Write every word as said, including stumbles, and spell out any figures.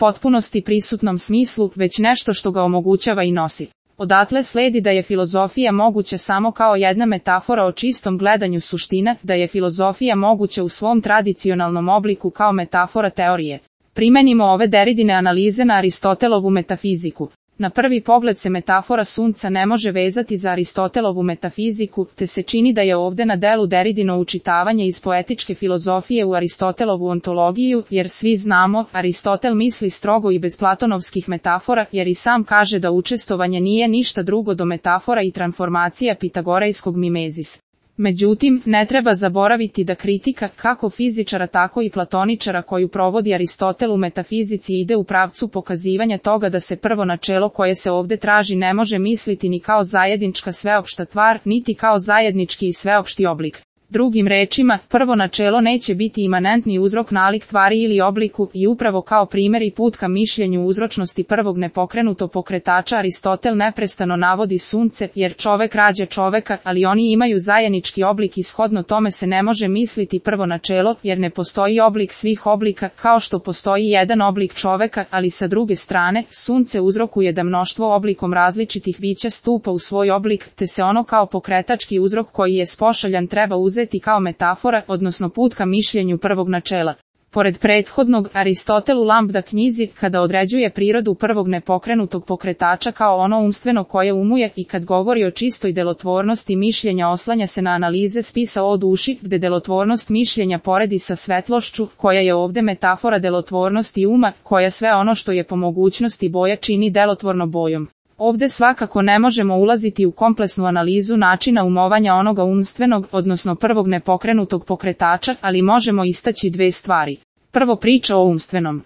potpunosti prisutnom smislu, već nešto što ga omogućava i nosi. Odatle sledi da je filozofija moguća samo kao jedna metafora o čistom gledanju suština, da je filozofija moguća u svom tradicionalnom obliku kao metafora teorije. Primenimo ove Deridine analize na Aristotelovu metafiziku. Na prvi pogled se metafora sunca ne može vezati za Aristotelovu metafiziku, te se čini da je ovde na delu Deridino učitavanje iz poetičke filozofije u Aristotelovu ontologiju, jer svi znamo, Aristotel misli strogo i bez platonovskih metafora, jer i sam kaže da učestovanje nije ništa drugo do metafora i transformacija pitagorejskog mimezis. Međutim, ne treba zaboraviti da kritika, kako fizičara tako i platoničara koju provodi Aristotel u metafizici ide u pravcu pokazivanja toga da se prvo načelo koje se ovde traži ne može misliti ni kao zajednička sveopšta tvar, niti kao zajednički i sveopšti oblik. Drugim rečima, prvo načelo neće biti imanentni uzrok nalik tvari ili obliku i upravo kao primjer i put ka mišljenju uzročnosti prvog nepokrenutog pokretača Aristotel neprestano navodi sunce, jer čovek rađa čoveka, ali oni imaju zajednički oblik i shodno tome se ne može misliti prvo načelo, jer ne postoji oblik svih oblika, kao što postoji jedan oblik čoveka, ali sa druge strane, sunce uzrokuje da mnoštvo oblikom različitih bića stupa u svoj oblik, te se ono kao pokretački uzrok koji je spošaljan treba uzeti kao metafora, odnosno put ka mišljenju prvog načela. Pored prethodnog, Aristotel u Lambda knjizi, kada određuje prirodu prvog nepokrenutog pokretača kao ono umstveno koje umuje i kad govori o čistoj delotvornosti mišljenja oslanja se na analize spisa o duši, gde delotvornost mišljenja poredi sa svetlošću, koja je ovde metafora delotvornosti uma, koja sve ono što je po mogućnosti boja čini delotvorno bojom. Ovde svakako ne možemo ulaziti u kompleksnu analizu načina umovanja onoga umstvenog, odnosno prvog nepokrenutog pokretača, ali možemo istaći dve stvari. Prvo, priča o umstvenom.